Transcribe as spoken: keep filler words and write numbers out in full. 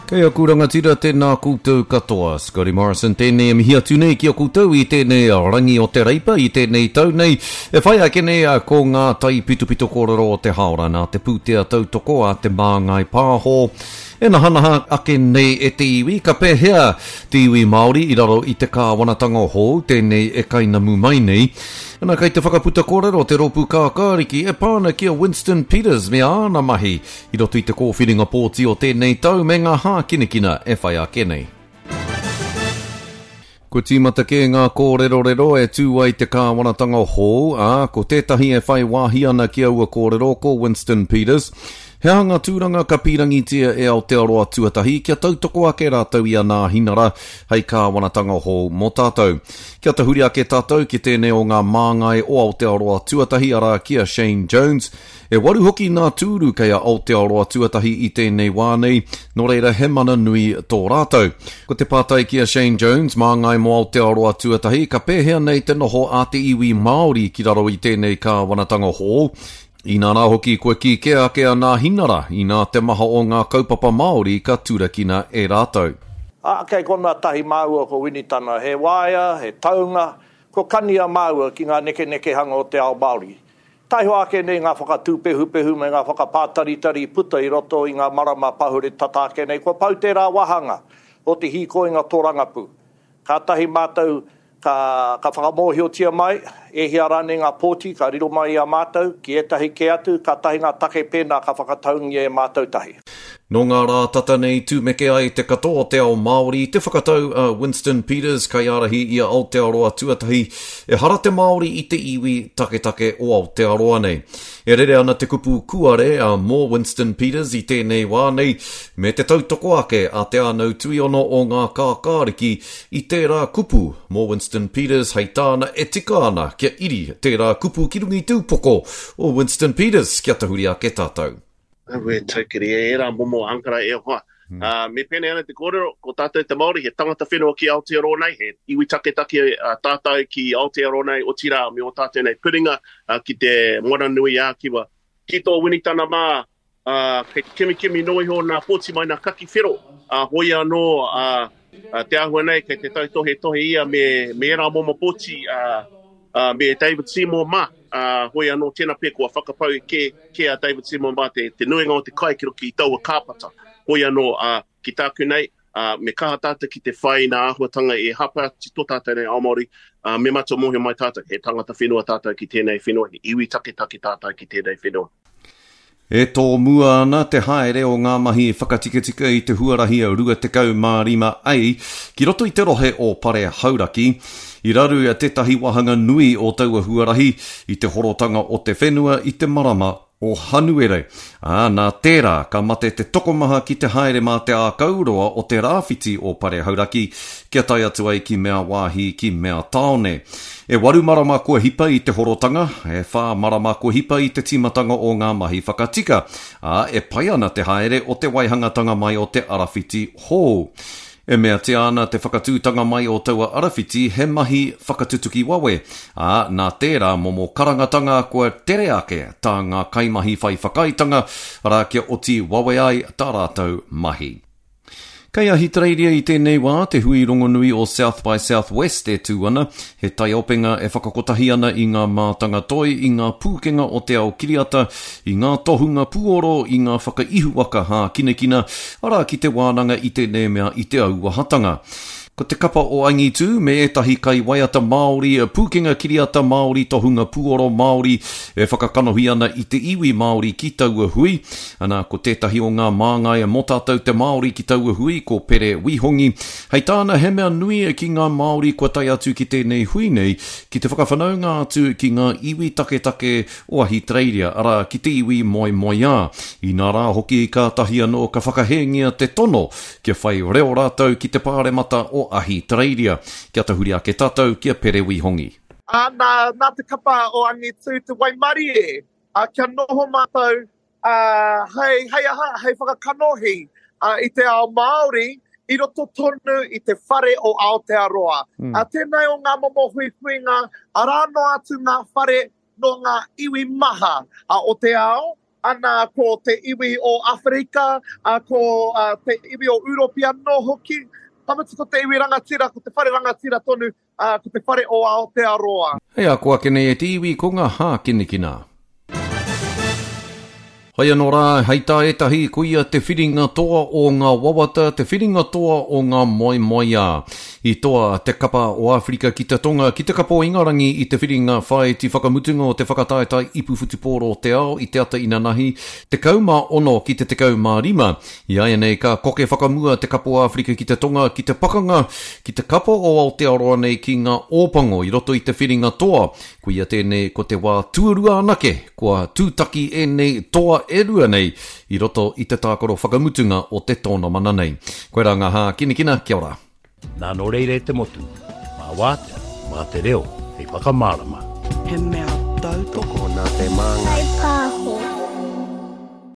Kei aku rangatira, tēnā koutou katoa. Scotty Morrison tēnei e mihi atu nei ki a koutou i tēnei rangi o te Reipa, i tēnei tau nei. E whai ake nei ko ngā taipitopito kōrero o te haora nā te pūtea tautoko a Te Māngai Pāho. E nahanaha ake nei e te iwi, ka pēhea te iwi Māori i raro i te kāwanatanga hou, tēnei e kainamu mai nei. Ana kei te whakaputa kōrero te rōpū kākāriki e pā ana ki a Winston Peters me āna mahi i roto i te kōwhiringa pōti o tēnei tau me ngā hākinakina e whai ake nei. Kua tīmata kē ngā kōrerorero e tū ai te kāwanatanga hou, ā, ko tētahi e whai wāhi ana ki aua kōrero ko Winston Peters. He aha ngā tūranga ka pīrangitia e Aotearoa Tuatahi kia tautoko ake rātou i a Nāhinara hei kāwanatanga hou mō tātou. Kia tahuri ake tātou ki tēnei o ngā māngai o Aotearoa Tuatahi, arā ki a Shane Jones. E waru hoki ngā tūru kei a Aotearoa Tuatahi i tēnei wā nei, nō reira he mana nui tō rātou. Ko te pātai ki a Shane Jones, māngai mō Aotearoa Tuatahi, ka pēhea nei te noho a te iwi Māori ki raro i tēnei kāwanatanga hou? Inā rā hoki kua kī kē ake a Nāhinara, inā te maha o ngā kaupapa Māori ka turakina e rātou. Ā, kei konā tahi māua ko Winitana, he waea, he taunga, kua kania māua ki ngā nekenekehanga o te ao Māori. Taihoa ake nei ngā whakatūpehupehu me ngā whakapātaritari i puta i roto i ngā marama pahure tata ake nei, kua pau tērā wāhanga o te hīkoinga tōrangapū. Kātahi mātou ka, ka whakamōhiotia mai, e hia rānei ngā pōti ka riro mai i a mātou, ki ētahi kē atu, kātahi ngā take pēnā ka whakataungia e mātou tahi. Nō ngā rā tata nei tūmeke ai te katoa o te ao Māori te whakatau a Winston Peters kaiārahi i a Aotearoa Tuatahi, ehara te Māori i te iwi taketake o Aotearoa nei. E rere ana te kupu kuare a mō Winston Peters i tēnei wā nei, me te tautoko ake a Te Ānau Tuiono o ngā kākāriki i tērā kupu mō Winston Peters hei tāna e tika ana kia iri tērā kupu ki runga i te upoko o Winston Peters kia tahuri ake tātou. Aue, taukiri, e ērā momo ankara e hoa. Mm. Uh, me pēnei ana te kōrero, ko tātou te Māori, he tangata whenua ki Aotearoa nei, he iwi taketake uh, tātou ki Aotearoa nei, otirā me o tātou nei puringa uh, ki te Moana Nui ā-Kiwa. Ki tō Winitana mā, uh, kei te kimikimi noa iho nā pōti mai nā kaki whero, uh, hoi anō uh, uh, te āhua nei kei te tautohetohe ia me, me ērā momo pōti uh, uh, me David Seymour mā, uh, hoi anō tēnā pea kua whakapau kē, kē a David Seymour mā te, te nuinga o te kai ki roto i taua kāpata. Hoi anō, uh, ki tāku nei, uh, me kaha tātou ki te whai i ngā āhuatanga e hāpai atu tō tātou nei ao Māori, uh, me mātua mōhio mai tātou, he tangata whenua tātou ki tēnei whenua, he iwi taketake tātou ki tēnei whenua. E tōmua ana te haere o ngā mahi whakatikatika i te huarahi rua tekau mā rima A ki roto i te rohe o Pare Hauraki. I raru tētahi wāhanga nui o taua huarahi i te horotanga o te whenua i te marama o Hanuere. Ā, nā tērā ka mate te tokomaha ki te haere mā te ākauroa o te rāwhiti o Pare Hauraki kia tae atu ai ki mea wāhi ki mea tāone. E waru marama kua hipa i te horotanga, e whā marama kua hipa i te tīmatanga o ngā mahi whakatika, ā, e pai ana te haere o te waihangatanga mai o te arawhiti hou. E meatia ana te whakatūtanga mai o taua arawhiti he mahi whakatutuki wawe, ā, nā tērā momo karangatanga kua tere ake tā ngā kaimahi whai whakaaetanga, arā kia oti wawe ai tā rātou mahi. Kei Ahitereiria i tēnei wā te hui rongonui o South by Southwest e tū ana, he taiopenga e whakakotahi ana i ngā mātanga toi, i ngā pūkenga o te ao kiriata, i ngā tohunga puoro, i ngā whakaihuwaka hākinakina, arā ki te wānanga i tēnei mea i te auahatanga. Ko te kapa o Angitū me ētahi kaiwaiata Māori, pūkenga kiriata Māori, tohunga puoro Māori e whakakanohi ana i te iwi Māori ki taua hui. Ana, ko tētahi o ngā māngai mō tātou te Māori ki taua hui, ko Pere Wihongi. Hei tāna, he mea nui ki ngā Māori kua tae atu ki tēnei hui nei, ki te whakawhanaunga atu ki ngā iwi taketake o Ahitereiria, arā, ki te iwi moemoeā. Inā rā hoki, kātahi anō ka whakahēngia te tono kia whai reo rātou ki te pāremata o Ahitereiria. Kia tahuri ake tātou ki a Pere Wihongi. Ā, nā, nā te kapa o Angitū te waimarie, ā, kia noho mātou, ā, hei, hei aha, hei whakakanohi, ā, i te ao Māori i roto tonu i te whare o Aotearoa. Mm. Ā, tēnei o ngā momo huihuinga, arā noa atu ngā whare nō ngā iwi maha, ā, o te ao, Ana ko te iwi o Awherika, ko te iwi o Uropi anō hoki. Ka mutu ko te iwi rangatira, ko te whare rangatira tonu, ko te whare o Aotearoa. Hei a ko ake nei e te iwi ko ngā hākinakina. Hoi anō rā, hei tā ētahi, koia te whiringa toa o ngā wawata, te whiringa toa o ngā moemoeā. I toa te kapa o Āwherika ki te Tonga ki te kapa o Ingarangi i te whiringa whāiti whakamutunga o te whakataetae ipu whutupōro o te ao i te ata inanahi, tekau mā ono ki te tekau mā rima. I āianei ka koke whakamua te kapa o Āwherika ki te Tonga ki te pakanga ki te kapa o Aotearoa nei ki ngā Ōpango i roto i te whiringa toa. Koia tēnei ko te wā tuarua anake kua tūtaki ēnei toa e rua nei i roto i te tākaro whakamutunga o te tōnamana nei. Koirā ngā hākinakina, kia ora. Nā nō reira e te motu, mā wātea, mā te reo, hei whakamārama. He mea tautoko. Tokona te māngai.